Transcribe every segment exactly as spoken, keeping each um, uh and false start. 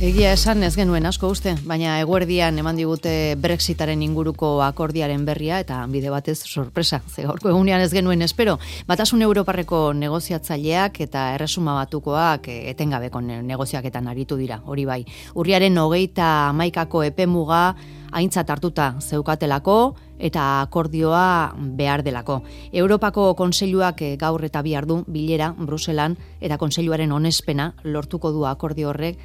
Egia esan ez genuen asko uste, baina eguerdian eman digute Brexitaren inguruko akordiaren berria eta bide batez sorpresa, ze gaurko egunean ez genuen espero. Batasun Europarreko negoziatzaileak eta Erresuma Batukoak etengabeko negoziaketan aritu dira, hori bai. Urriaren hogeita hamaikako epemuga aintzat hartuta zeukatelako eta akordioa behar delako. Europako Kontseiluak gaur eta bihar du bilera Bruselan eta Kontseiluaren onespena lortuko du akordio horrek.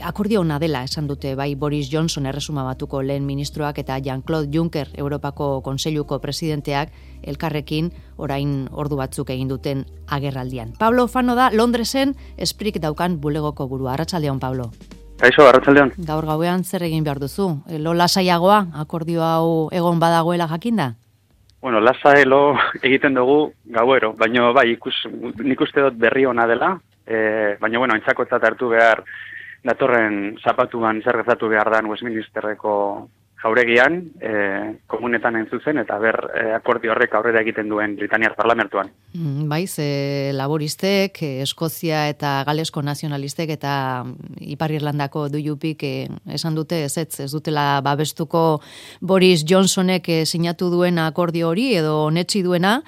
Akordio ona dela esan dute bai Boris Johnson Erresuma Batuko lehen ministroak eta Jean-Claude Juncker Europako Kontseiluko presidenteak elkarrekin orain ordu batzuk egin duten agerraldian. Pablo Fano da Londresen Esprik daukan bulegoko burua. Arratsaldeon, Pablo. Kaixo, arratsaldeon. Gaur gauean zer egin behar duzu? Lo lasaiagoa, akordio hau egon badagoela jakinda? Bueno, lasai lo egiten dugu gauero, baina bai, ikus, nik uste dut berri ona dela, e, baina bueno, aintzakotzat hartu behar datorren zapatuan zer gertatu behar dan Westminsterreko jauregian, e, komunetan entzuzen, eta ber e, akordio horrek aurrera egiten duen Britaniar parlamentuan. Mm, bai, ze laboristek, Eskozia eta Galesko nazionalistek eta Ipar Irlandako D U Pk eh, esan dute ez ez, ez dutela babestuko Boris Johnsonek eh, sinatu duen akordio hori edo onetsi duena,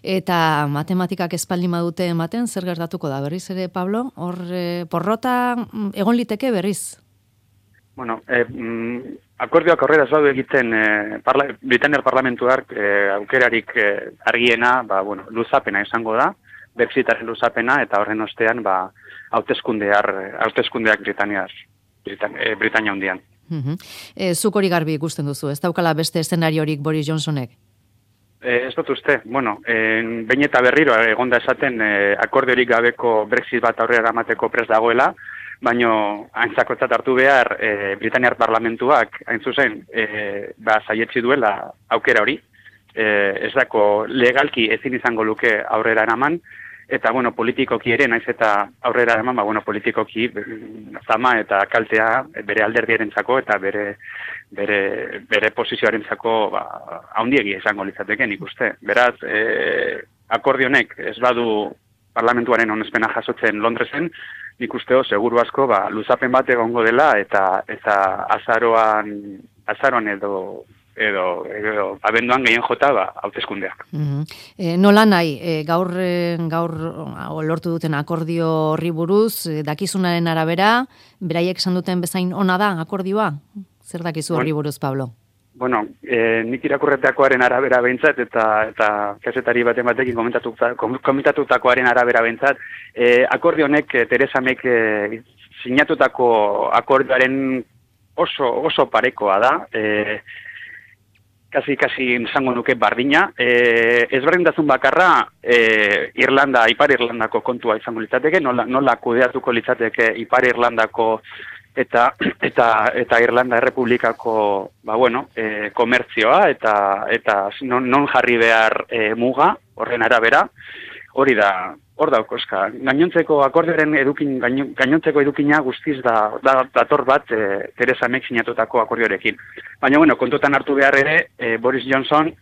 eta matematikak espaldin badute ematen, zer gertatuko da berriz ere, Pablo? Hor eh, porrota egon liteke berriz? Bueno, eh, mm, akordioak aurrera ez badu egiten eh, parla, Britaniar parlamentuak eh, aukerarik eh, argiena, ba, bueno, luzapena izango da, Brexitaren luzapena, eta horren ostean ba, hauteskundeak Britaniar, Britan, eh, Britania hundian. Uh-huh. E, zuk hori garbi ikusten duzu, ez daukala beste eszenariorik Boris Johnsonek? Eh, ez dut uste, bueno, eh, behin eta berriro egonda esaten eh, akordiorik gabeko Brexit bat aurrera eramateko prest dagoela, baino aintzakotzat hartu behar e, Britaniar parlamentuak hain zuzen e, ba, saietsi duela aukera hori. E, ez dako legalki ezin izango luke aurrera eraman, eta bueno, politikoki ere naiz eta aurrera eraman, ba, bueno, politikoki zama eta kaltea bere alderdierentzako eta bere bere bere posizioarentzako ba, haundiegia izango litzateke nik uste. Beraz, e, akordionek ez badu parlamentuaren onespena jasotzen Londresen, nik usteo seguru asko ba, luzapen bat egongo dela eta eta azaroan azaroan edo edo, edo abenduan gehien jota ba, hauteskundeak. Uh-huh. E, nola nahi, e, gaur, gaur lortu duten akordio horri buruz, e, dakizunaren arabera, beraiek esan duten bezain ona da akordioa? Zer dakizu horri buruz, Pablo? Bueno, eh, nik irakurretakoaren arabera behintzat, eta eta kazetari baten batekin komentatutakoaren arabera behintzat, eh, akordio honek eh, Teresa Mayk eh, sinatutako akordioaren oso oso parekoa da, eh, kasi kasi izango nuke bardina, eh, ezberdintasun bakarra eh, Irlanda, Ipar Irlandako kontua izango litzateke, nola, nola kudeatuko litzateke Ipar Irlandako eta eta eta Irlanda Errepublikako ba bueno, eh, komertzioa eta eta non, non jarri behar eh, muga horren arabera, hori da, hor dauko eska. Gainontzeko akordioaren edukin gainontzeko edukina guztiz da da dator bat eh, Teresa Mayk sinatutako akordioarekin. Baina bueno, kontutan hartu behar ere eh, Boris Johnson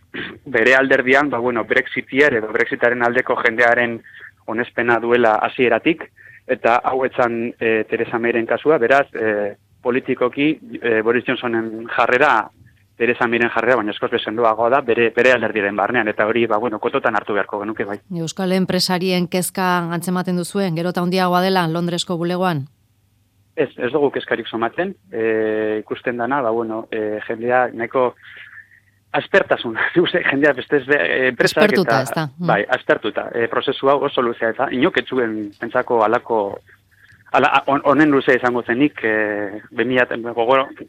bere alderdian, ba bueno, Brexitier edo Brexitaren aldeko jendearen onespena duela hasieratik. Eta hau etzan e, Teresa Mayren kasua, beraz, e, politikoki e, Boris Johnsonen jarrera, Teresa Mayren jarrera, baina eskoz bezenduagoa da, bere, bere alderdiren barnean, eta hori, ba, bueno, kototan hartu beharko genuke bai. Euskal enpresarien kezka antzematen duzuen, gero eta handiagoa dela Londresko bulegoan? Ez, ez dugu kezkarik somatzen, e, ikusten dana, ba, bueno, e, jendea nahiko aspertasun, jendea beste enpresak aspertuta, eta, ez da. Mm. Bai, aspertuta, e, prozesu hau oso luzea eta inoketzuen pentsako alako, ala, on, onen luzea izango zenik, e, bemiat,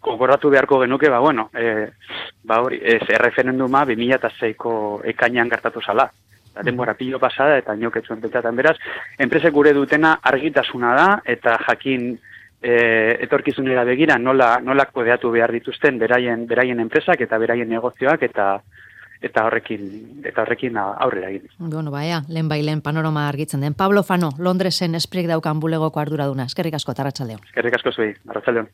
gogoratu beharko genuke, ba, bueno, e, ba, hori, ez, erreferenduma bimila eta seiko ekainan gertatu zala. Da, denbora pilo pasada eta inoketzuen pentsatan. Beraz, enpresek gure dutena argitasuna da eta jakin E, etorkizunera begira nola nola kudeatu behar dituzten beraien beraien enpresak eta beraien negozioak eta eta horrekin eta horrekin aurrera egin. Bueno, baia, lehen bai lehen panorama argitzen den. Pablo Fano, Londresen Esprik daukan bulegoko arduraduna. Eskerrik asko, arratsaldeon. Eskerrik asko zuei, arratsaldeon.